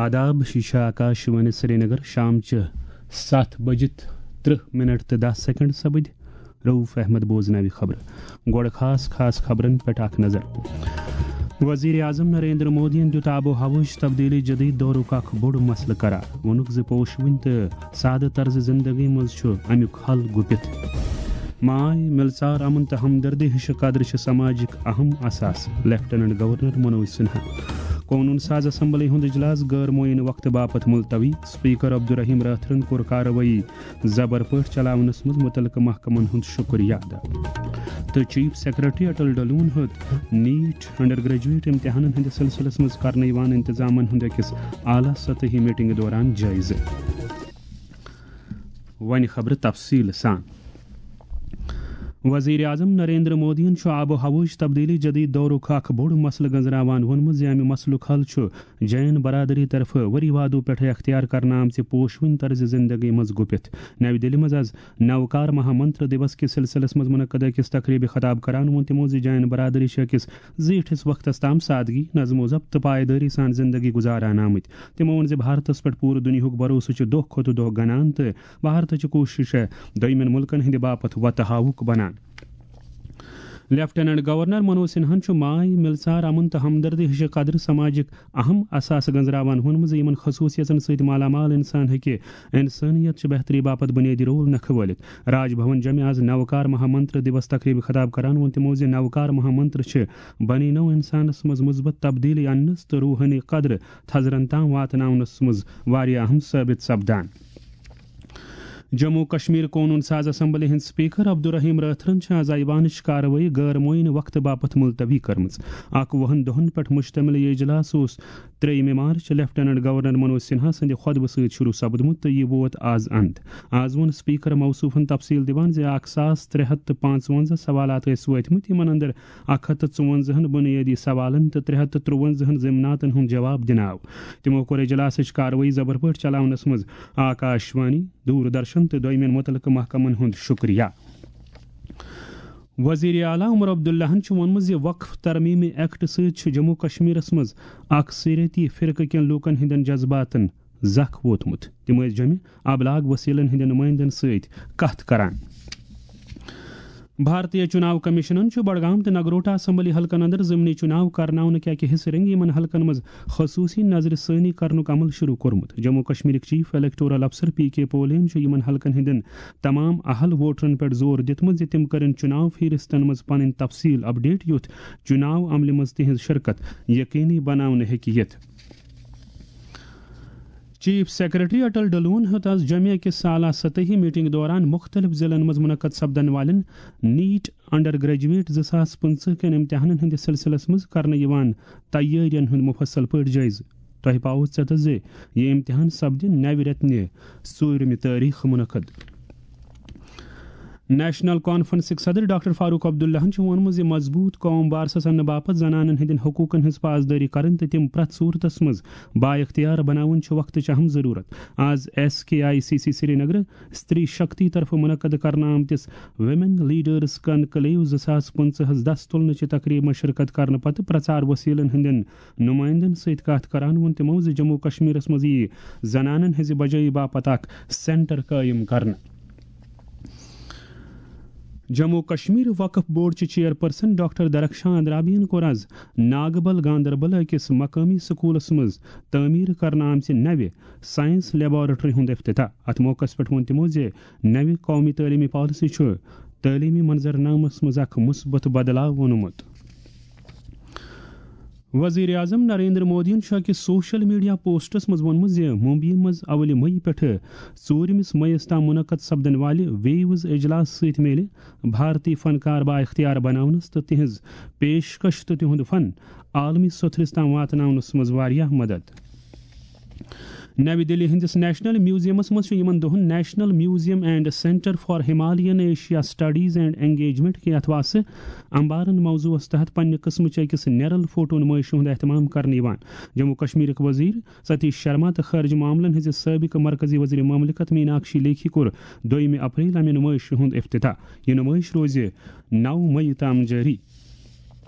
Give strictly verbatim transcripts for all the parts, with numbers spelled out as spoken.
آداب، یہِ چھِ آکاش وانی سرینگر۔ شام چہِ ستھ بجِتھ ترٕہ منٹ تہٕ دَہ سیکنڈ سپٕدۍ۔ رؤف احمد بوزناوِ خبرٕ۔ گۄڈٕ خاص خاص خبرن پٮ۪ٹھ اکھ نظر۔ وزیر اعظم نریندر مودیَن دیُت آب و ہوہٕچ تبدیلی جدید دورُک اکھ بوٚڑ مسلہٕ قرار۔ ووٚنُکھ زِ پوشوٕنۍ تہٕ سادٕ طرزِ زندگی منٛز چھُ امیُک حل گُپِتھ۔ ماے، مِلژار، امن تہٕ ہمدردی ہِشہِ قدرٕ چھِ سماجٕکۍ اہم اثاثہٕ، لیفٹیننٹ گورنر منوج سنہا۔ قونوٗن ساز اسمبلی ہُنٛد اجلاس غٲر معینہٕ وقتہٕ باپتھ ملتوی، اسپیکر عبدالرحیم رٲتھرَن کوٚر کاروٲیی زبر پٲٹھۍ چلاونس منٛز متعلقہٕ محکمن ہُنٛد شُکریہ ادا۔ تہٕ چیف سیکرٹری اٹل ڈلون ہیوٚت نیٹ انڈر گریجویٹ امتحانن ہٕنٛدِس سلسلس منٛز کرنہٕ یِوان انتظامن ہُنٛد أکِس اعلیٰ سطحی میٹنگہِ دوران جٲیزٕ۔ وۄنۍ خبرٕ تفصیٖل سان۔ وزیر اعظم نریندر مودیَن چھُ آب و ہوہٕچ تبدیلی جدید دورُک اکھ بوٚڑ مسلہٕ گنزراوان ووٚنمُت زِ امہِ مسلُک حل چھُ جین برادری طرفہٕ ؤری وادو پٮ۪ٹھٕ اختیار کرنہٕ آمژِ پوشوٕنۍ طرزِ زندگی منٛز گُپِتھ۔ نَوِ دِلہِ منٛز از نوکار مہا منتر دیوس کِس سلسلس منٛز منعقد أکِس تقریبہِ خطاب کران ووٚن تِمو زِ جین برادری چھِ أکِس زیٖٹھِس وقتس تام سادگی، نظم و ضبط تہٕ پایدٲری سان زندگی گُزاران آمٕتۍ۔ تِمو ووٚن زِ بھارتس پٮ۪ٹھ پوٗرٕ دُنیاہُک بھروسہٕ چھُ دۄہ کھۄتہٕ دۄہ گنان تہٕ بھارتٕچ کوٗشش چھےٚ دوٚیمٮ۪ن مُلکن ہٕنٛدِ باپتھ وتہٕ ہاوُک بنان۔ لیفٹیننٹ گورنر منوج سنہاہن چھُ ماے، مِلژار، امن تہٕ ہمدردی ہِشہِ قدرٕ سماجٕکۍ اہم اثاثہٕ گنزراوان ووٚنمُت زِ یِمن خصوٗصیژن سۭتۍ مالا مال انسان ہیٚکہِ انسٲنیت چہِ بہتری باپتھ بُنیٲدی رول نکھٕ وٲلِتھ۔ راج بھون جمہِ آز نوکار مہا منتر دیوس تقریبہِ خطاب کران ووٚن تِمو زِ نوکار مہا منتر چھِ بنی نوع انسانس منٛز مثبت تبدیلی اننس تہٕ روحٲنی قدرٕ تھزرن تام واتناونس منٛز واریاہ اہم ثٲبت سپدان۔ جموں کشمیر قونوٗن ساز اسمبلی ہٕنٛدۍ سپیکر عبدالرحیم رٲتھرَن چھِ آز ایوانٕچ کاروٲیی غٲر معینہٕ وقتہٕ باپتھ ملتوی کٔرمٕژ۔ اکھ وُہن دۄہن پٮ۪ٹھ مشتمل یہِ اجلاس اوس ترٛیٚیِمہِ مارچ لیفٹیننٹ گورنر منوج سنہا سٕنٛدِ خطبہٕ سۭتۍ شروع سپدمُت تہٕ یہِ ووت آز اند۔ آز ووٚن سپیکر موصوفن تفصیل دِوان زِ اکھ ساس ترٛےٚ ہتھ تہٕ پانٛژوَنزاہ سوالات ٲسۍ وٲتمٕتۍ، یِمن اندر اکھ ہتھ تہٕ ژُوَنزاہن بُنیٲدی سوالن تہٕ ترٛےٚ ہتھ تہٕ ترٛوَنزاہن ضمناتن ہُنٛد جواب دِنہٕ آو۔ تِمو کوٚر اجلاسٕچ کاروٲیی زبر پٲٹھۍ چلاونس منٛز آکاش وانی، دوٗر درشن تہٕ دوٚیمٮ۪ن مُتعلقہٕ محکمن ہُنٛد شُکریہ۔ وزیر اعلیٰ عمر عبداللہن چھُ ووٚنمُت زِ وقف ترمیمی ایکٹ سۭتۍ چھُ جموں کشمیرس منٛز اکثریتی فرقہٕ کٮ۪ن لوٗکن ہٕنٛدٮ۪ن جذباتن زکھ ووتمُت۔ تِم ٲسۍ جمہِ ابلاغ وسیلن ہٕنٛدٮ۪ن نُمٲیندن سۭتۍ کتھ کران۔ بھارتیہ چناو کمیشنن چھُ بڈگام تہٕ نگروٹا اسمبلی حلقن اندر ضمنی چناو کرناونہٕ کہِ اکہِ حصہٕ رنگی یِمن حلقن منٛز خصوصی نظرِ ثٲنی کرنُک عمل شروع کوٚرمُت۔ جموں کشمیرٕکۍ چیف الیکٹورل افسر پی کے پولین چھُ یِمن حلقن ہٕنٛدٮ۪ن تمام اہل ووٹرن پٮ۪ٹھ زور دِیُتمُت زِ تِم کرن چناو فہرستن منٛز پنٕنۍ تفصیل اپڈیٹ، یُتھ چناو عملہِ منٛز تِہنٛز شرکت یقینی بناونہٕ ہیٚکہِ یِتھ۔ چیف سیکرٹری اٹل ڈلون ہیوٚت آز جمعہ کِس سالہ سطحی میٹنگ دوران مختلف ضلعن منٛز منعقد سپدن والٮ۪ن نیٹ انڈر گریجویٹ زٕ ساس پٕنٛژٕہ کٮ۪ن امتحانن ہٕنٛدِس سلسلس منٛز کرنہٕ یِوان تیٲرین ہُنٛد مفصل پٲٹھۍ جٲیزٕ۔ تۄہہِ پاوو ژٮ۪تس زِ یہِ امتحان سپدِ نوِ رٮ۪تہٕ نہِ ژوٗرمہِ تٲریخ منعقد۔ نیشنل کانفرنسٕکۍ صدر ڈاکٹر فاروق عبداللہن چھُ ووٚنمُت زِ مضبوٗط قوم بارسَس اننہٕ باپتھ زنانن ہٕنٛدٮ۪ن حقوٗقن ہٕنٛز پاسدٲری کرٕنۍ تہٕ تِم پرٛٮ۪تھ صوٗرتس منٛز بااختیار بناوٕنۍ چھُ وقتٕچ اہم ضروٗرت۔ آز S K I C C Srinagar استری شکتی طرفہٕ منعقد کرنہٕ آمتِس ویمن لیڈرز کنکلیو زٕ ساس پٕنٛژٕہس دس تُلنہٕ چہِ تقریبہِ منٛز شرکت کرنہٕ پتہٕ پرچار وسیلن ہٕنٛدٮ۪ن نمائندن سۭتۍ کتھ کران ووٚن تِمو زِ جموں کشمیرس منٛز یِیہِ زنانن ہٕنٛزِ بجٲیی باپتھ اکھ سینٹر قٲیِم کرنہٕ۔ جموں کشمیر وقف بورڈ چہِ چیئرپرسن ڈاکٹر درخشان اندرابین کوٚر آز ناگبل گاندربل أکِس مقٲمی سکوٗلس منٛز تعمیٖر کرنہٕ آمژِ نوِ سائنس لیبارٹری ہُنٛد افتتاح۔ اتھ موقعس پٮ۪ٹھ ووٚن تِمو زِ نوِ قومی تعلیمی پالیسی چھُ تعلیمی منظرنامس منٛز اکھ مثبت بدلاو اونمُت۔ وزیر اعظم نریندر مودیَن چھُ أکِس سوشل میڈیا پوسٹس منٛز ووٚنمُت زِ ممبیہِ منٛز اولہِ مئی پٮ۪ٹھٕ ژوٗرمِس مئیس تام منعقد سپدن والہِ ویوز اجلاس سۭتۍ میلہِ بھارتی فنکار بااختیار بناونس تہٕ تِہنٛز پیشکش تہٕ تِہُنٛد فن عالمی سوٚتھرِس تام واتناونس منٛز واریاہ مدد۔ نَوِ دِلہِ ہٕنٛدِس نیشنل میوزیمس منٛز چھُ یِمن دۄہن national museum and centre for Himalayan Asia studies and engagement کہِ اتھواسہٕ امبارن موضوعس تحت پننہِ قٕسمٕچ أکِس نیرل فوٹو نمٲیشہِ ہُنٛد اہتمام کرنہٕ یِوان۔ جموں کشمیرٕکۍ وزیر ستیش شرما تہٕ خارجہ معاملن ہٕنٛزِ سٲبقہٕ مرکزی وزیر مملکت میناکشی لیکھی کوٚر دویمہِ اپریل امہِ نمٲیشہِ ہُنٛد افتتاح۔ یہِ نمٲیش روزِ نَو مئی تام جٲری۔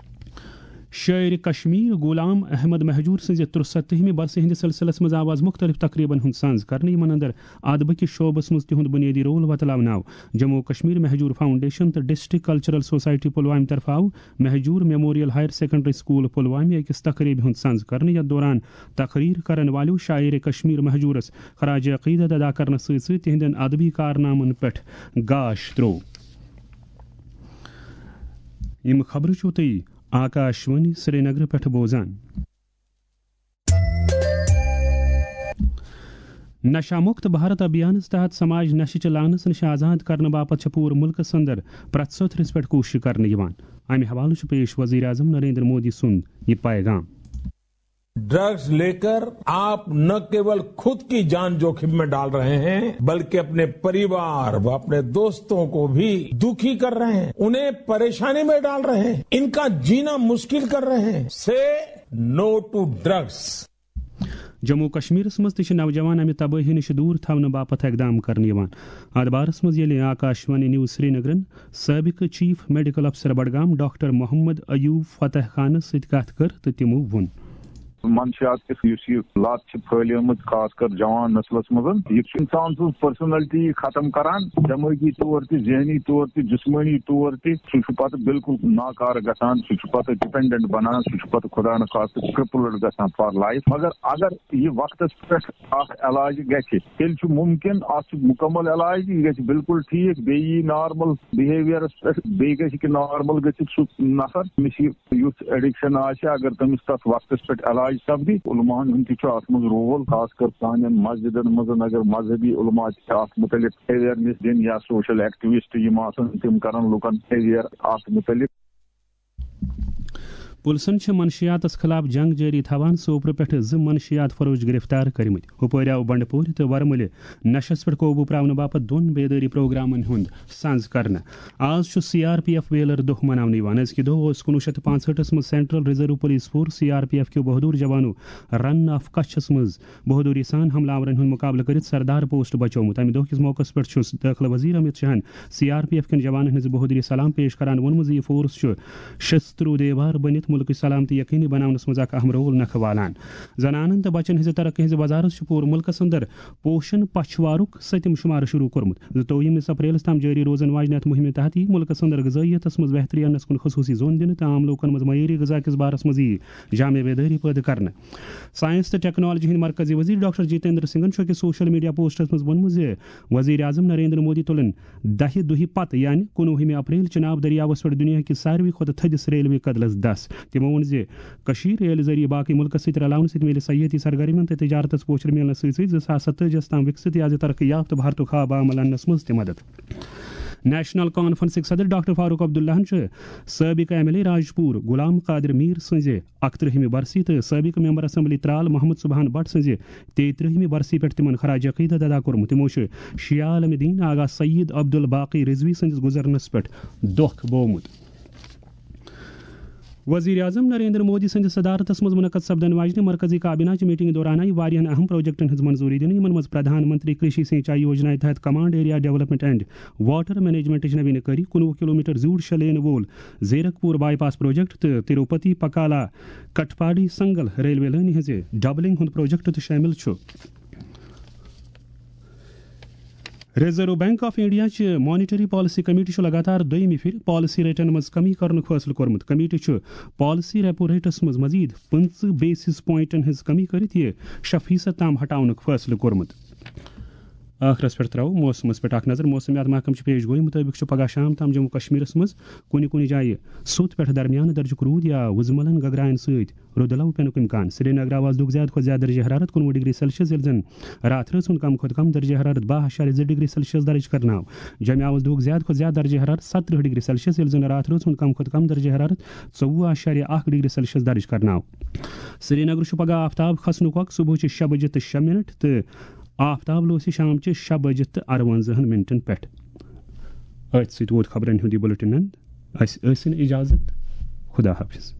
شٲعرِ کشمیر غلام احمد مہجور سٕنٛزِ ترٛسَتتھمہِ برسہِ ہٕنٛدِس سلسلس منٛز آو از مختلف تقریبن ہُنٛد سنز کرنہٕ، یِمن اندر ادبہٕ کِس شعبس منٛز تِہُنٛد بُنیٲدی رول وۄتلاونہٕ آو۔ جموں و کشمیر مہجور فاؤنڈیشن تہٕ ڈسٹرکٹ کلچرل سوسائٹی پلوامہِ طرفہٕ آو Mahjoor memorial higher secondary school پلوامہِ أکِس تقریبہِ ہُنٛد سنز کرنہٕ، یتھ دوران تقریر کرن والیو شاعرِ کشمیر مہجورس خراج عقیدت ادا کرنس سۭتۍ سۭتۍ تِہنٛدٮ۪ن ادبی کارنامن پٮ۪ٹھ گاش تروو۔ یِم خبرٕ چھِو تُہۍ آکاشوانی سرینگرٕ پٮ۪ٹھ بوزان۔ نشہ مکت بھارت ابھیانس تحت سماج نشہ چہ لعنس نش آزاد کرنہٕ باپتھ چھِ پوٗرٕ ملکس اندر پرٛٮ۪تھ سطحس پٮ۪ٹھ کوٗشش کرنہٕ یِوان۔ امہِ حوالہٕ چھُ پیش وزیر اعظم نریندر مودی سُنٛد یہِ پیغام۔ ड्रग्स लेकर आप न केवल खुद की जान जोखिम में डाल रहे हैं, बल्कि अपने परिवार व अपने दोस्तों को भी दुखी कर रहे हैं, उन्हें परेशानी में डाल रहे हैं, इनका जीना मुश्किल कर रहे हैं। से नो टू ड्रग्स। جموں و کشمیرس منٛز تہِ چھِ نوجوان امہِ تبٲہی نِش دوٗر تھاونہٕ باپتھ اقدام کرنہٕ یِوان۔ اتھ بارس منٛز ییٚلہِ آکاشوانی نیوز سرینگرن سٲبقہٕ چیف میڈیکل افسر بڈگام ڈاکٹر محمد ایوب فتح خانس سۭتۍ کتھ کٔر تہٕ تِمو ووٚن۔ منشیات کِس یُس یہِ لت چھِ پھٲلیمٕژ، خاص کر جوان نسلس منٛز، یہِ چھُ انسان سٕنٛز پرسنلٹی ختم کران، دمٲغی طور تہِ، ذہنی طور تہِ، جسمٲنی طور تہِ۔ سُہ چھُ پتہٕ بالکل ناکارٕ گژھان، سُہ چھُ پتہٕ ڈپینڈنٹ بنان، سُہ چھُ پتہٕ خدا نخواستہٕ کرپلڈ گژھان فار لائف۔ مگر اگر یہِ وقتس پٮ۪ٹھ اکھ علاج گژھِ، تیٚلہِ چھُ مُمکِن، اتھ چھُ مُکمل علاج، یہِ گژھِ بالکل ٹھیٖک، بیٚیہِ یی نارمل بِہیویرس پٮ۪ٹھ، بیٚیہِ گژھِ کہِ نارمل گٔژھِتھ سُہ نفر، أمِس یہِ یُتھ ایڈکشن آسہِ، اگر تٔمِس تتھ وقتس پٮ۪ٹھ علاج سپدِ۔ علماہن ہُنٛد تہِ چھُ اتھ منٛز رول، خاص کر سانٮ۪ن مسجدن منٛز، اگر مذہبی علما تہِ چھِ اتھ متعلق اویئرنیس دِنۍ یا سوشل ایکٹیوسٹ یِم آسن، تِم کرن لُکن اویئر اتھ متعلق۔ پُلسن چھِ منشیاتس خلاف جنگ جٲری تھاوان سوپرٕ پٮ۪ٹھٕ زٕ منشیات فروش گرفتار کٔرمٕتۍ۔ ہُپٲرۍ آو بنڈپورِ تہٕ ورمُلہِ نشس پٮ۪ٹھ قوبوٗ پراونہٕ باپتھ دۄن بیدٲری پروگرامن ہُنٛد سنز کرنہٕ۔ آز چھُ C R P F valour دۄہ مناونہٕ یِوان۔ أزکہِ دۄہ اوس کُنوُہ شیٚتھ تہٕ پانٛژہٲٹھس منٛز central reserve police force, C R P F, کیو بہادر جوانو رن آف کچھس منٛز بہادری سان حملہٕ آورن ہُنٛد مُقابلہٕ کٔرِتھ سردار پوسٹ بچومُت۔ امہِ دۄہ کِس موقعس پٮ۪ٹھ چھُ دٲخلہٕ وزیر امت شاہن سی آر پی ایف کٮ۪ن جوانن ہٕنٛز بہادری سلام پیش کران ووٚنمُت زِ یہِ فورس چھُ شستروٗ دیوار بٔنِتھ مُلکٕچ سلامتی یقینی بناونس منٛز اکھ اہم رول نکھٕ والان۔ زنانن تہٕ بچن ہٕنٛزِ ترقی ہٕنٛزِ وزارت چھُ پوٗرٕ مُلکس اندر پوشن پچھوارُک سٔتِم شُمارٕ شروٗع کوٚرمُت۔ زٕتووُہمِس اپریلس تام جٲری روزن واجنہِ اتھ مُہِمہِ تحت یِیہِ مُلکس اندر غذٲیتس منٛز بہتری اننس کُن خصوٗصی زون دِنہٕ تہٕ عام لوٗکن منٛز معیٲری غذا کِس بارس منٛز یِیہِ جامع بیدٲری پٲدٕ کرنہٕ۔ ساینس تہٕ ٹیکنالوجی ہٕنٛدۍ مرکزی وزیر ڈاکٹر جتیندر سنگھن چھُ أکِس سوشل میڈیا پوسٹس منٛز ووٚنمُت زِ وزیر اعظم نریندر مودی تُلن دَہہِ دۄہہِ پتہٕ، یعنی کُنوُہمہِ اپریل، چناب دٔریاوس پٮ۪ٹھ دُنیا کِس ساروٕے کھۄتہٕ تھٔدِس ریلوے کدلس دس۔ تِمو ووٚن زِ کٔشیٖر ریلہِ ذٔریعہٕ باقٕے مُلکَس سۭتۍ رلاونہٕ سۭتۍ میلہِ سیاحتی سرگرمیَن تہٕ تجارتَس پوچھر میلنَس سۭتۍ سۭتۍ زٕ ساس ستٲجی یَس تام وِکسِت یا زِ ترقی یافتہٕ بھارتُک خواب عمل اَننَس منٛز تہِ مدد۔ نیشنل کانفرنسٕکۍ صدر ڈاکٹر فاروق عبداللہَن چھُ سٲبقہٕ M L A Rajpur Ghulam Qadir Mir سٕنٛزِ اَکترٕہمہِ برسی تہٕ سٲبقہٕ ممبر اسمبلی ترال محمد سبحان بٹ سٕنٛزِ تیٚیہِ ترٛہمہِ برسی پٮ۪ٹھ تِمن خراج عقیدت ادا کوٚرمُت۔ تِمو چھُ شیعہ عالم دین آغا سید عبدالباقی رضوی سٕنٛدِس گُزرنس پٮ۪ٹھ دۄکھ بوومُت۔ وزیر اعظم نریندر مودی سٕنٛدِس صدارتس منٛز منعقد سپدن واجنہِ مرکزی کابینہ چہِ میٹنگہِ دوران آیہِ واریاہن اہم پروجیکٹن ہٕنٛز منظوری دِنہٕ، یِمن منٛز پرٛدھان منتری کرشی سینچائی یوجنا تحت command area development and water مینجمنٹٕچ نویٖن کٲری، کُنوُہ کلومیٹر زیوٗٹھ شےٚ لینہٕ وول زیرک پوٗر بائی پاس پروجیکٹ تہٕ تروپتی پکالا کٹپاڈی سنگل ریلوے لٲنہِ ہٕنٛزِ ڈبلنگ ہُنٛد پروجیکٹ تہِ شٲمِل چھُ۔ ریزرو بینک آف انڈیا چہِ مانیٹری پالیسی کمیٹی چھُ لگاتار دوٚیمہِ پھِرِ پالیسی ریٹن منٛز کمی کرنُک فٲصلہٕ کوٚرمُت۔ کمیٹی چھُ پالیسی ریپو ریٹس منٛز مزید پٕنٛژٕہ بیسس پوائنٹن ہٕنٛز کمی کٔرِتھ یہِ شےٚ فیصد تام ہٹاونُک فٲصلہٕ کوٚرمُت۔ ٲخرس پٮ۪ٹھ ترٛاوو موسمس پٮ۪ٹھ اکھ نظر۔ موسمیات محکمہٕ چہِ پیش گویی مُطٲبِق چھُ پگہہ شام تام جموں کشمیرس منٛز کُنہِ کُنہِ جایہِ سوٚت پٮ۪ٹھ درمیانہٕ درجُک روٗد یا وُزملن گگراین سۭتۍ رُدٕ لو پینُک امکان۔ سرینگر آو از دۄہُک زیادٕ کھۄتہٕ زیادٕ درجہ حرارت کُنوُہ ڈگری سیلسیس، ییٚلہِ زن راتھ رٲژ ہُنٛد کم کھۄتہٕ کم درجہ حرارت باہ اعشاریہ زٕ ڈگری سیلسیس درج کرنہٕ آو۔ جوٚمہِ آو از دۄہُک زیادٕ کھۄتہٕ زیادٕ درجہ حرارت ستترٕہ ڈگری سیلسیس، ییٚلہِ زن راتھ رٲژ ہُنٛد کم کھۄتہٕ کم درجہ حرارت ژوٚوُہ اعشاریہ اکھ ڈگری سیلسیس درج کرنہٕ آو۔ سرینگر چھُ پگہہ آفتاب کھسنُک وقت صبحٕچہِ شےٚ بجہِ تہٕ شےٚ منٹ تہٕ آفتاب لوسہِ شامچہِ شےٚ بجہِ تہٕ اَروَنزاہن منٹن پٮ۪ٹھ۔ أتھۍ سۭتۍ ووت خبرن ہُنٛد یہِ بُلٹن اند۔ اسہِ ٲسِن اجازت۔ خدا حافظ۔